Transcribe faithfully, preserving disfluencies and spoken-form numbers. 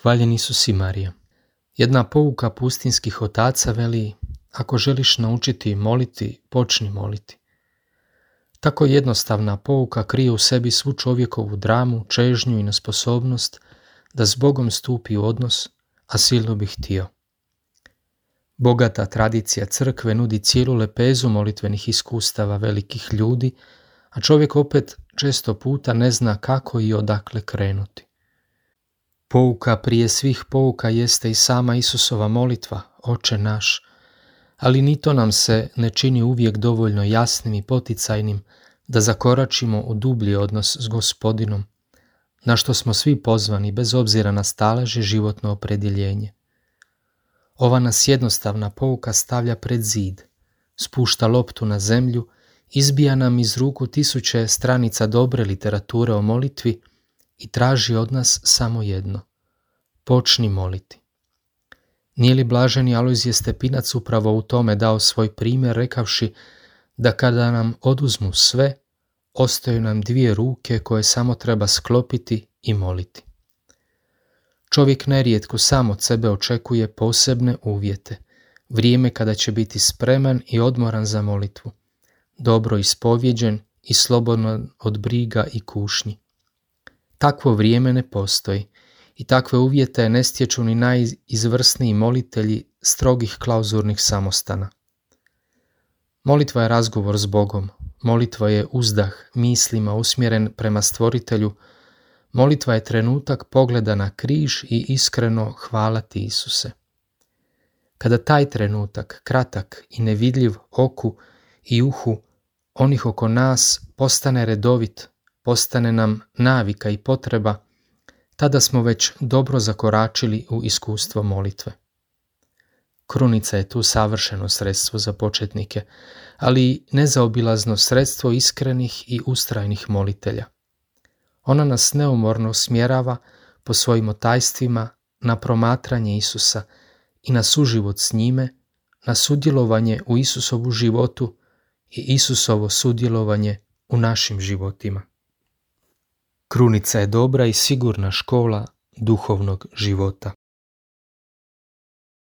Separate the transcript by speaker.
Speaker 1: Hvaljen Isus i Marija. Jedna pouka pustinskih otaca veli: ako želiš naučiti moliti, počni moliti. Tako jednostavna pouka krije u sebi svu čovjekovu dramu, čežnju i nesposobnost da s Bogom stupi u odnos, a silno bi htio. Bogata tradicija crkve nudi cijelu lepezu molitvenih iskustava velikih ljudi, a čovjek opet često puta ne zna kako i odakle krenuti. Pouka prije svih pouka jeste i sama Isusova molitva, Oče naš, ali ni to nam se ne čini uvijek dovoljno jasnim i poticajnim da zakoračimo u dublji odnos s Gospodinom, na što smo svi pozvani bez obzira na stalež i životno opredjeljenje. Ova nas jednostavna pouka stavlja pred zid, spušta loptu na zemlju, izbija nam iz ruku tisuće stranica dobre literature o molitvi i traži od nas samo jedno: počni moliti. Nije li blaženi Alojzije Stepinac upravo u tome dao svoj primjer rekavši da kada nam oduzmu sve, ostaju nam dvije ruke koje samo treba sklopiti i moliti. Čovjek nerijetko sam od sebe očekuje posebne uvjete, vrijeme kada će biti spreman i odmoran za molitvu, dobro ispovjeđen i slobodan od briga i kušnji. Takvo vrijeme ne postoji i takve uvjete ne stječu ni najizvrsniji molitelji strogih klauzurnih samostana. Molitva je razgovor s Bogom, molitva je uzdah mislima usmjeren prema Stvoritelju, molitva je trenutak pogleda na križ i iskreno hvala ti Isuse. Kada taj trenutak, kratak i nevidljiv oku i uhu onih oko nas, postane redovit, postane nam navika i potreba, tada smo već dobro zakoračili u iskustvo molitve. Krunica je tu savršeno sredstvo za početnike, ali nezaobilazno sredstvo iskrenih i ustrajnih molitelja. Ona nas neumorno usmjerava po svojim otajstvima na promatranje Isusa i na suživot s njime, na sudjelovanje u Isusovu životu i Isusovo sudjelovanje u našim životima. Krunica je dobra i sigurna škola duhovnog života.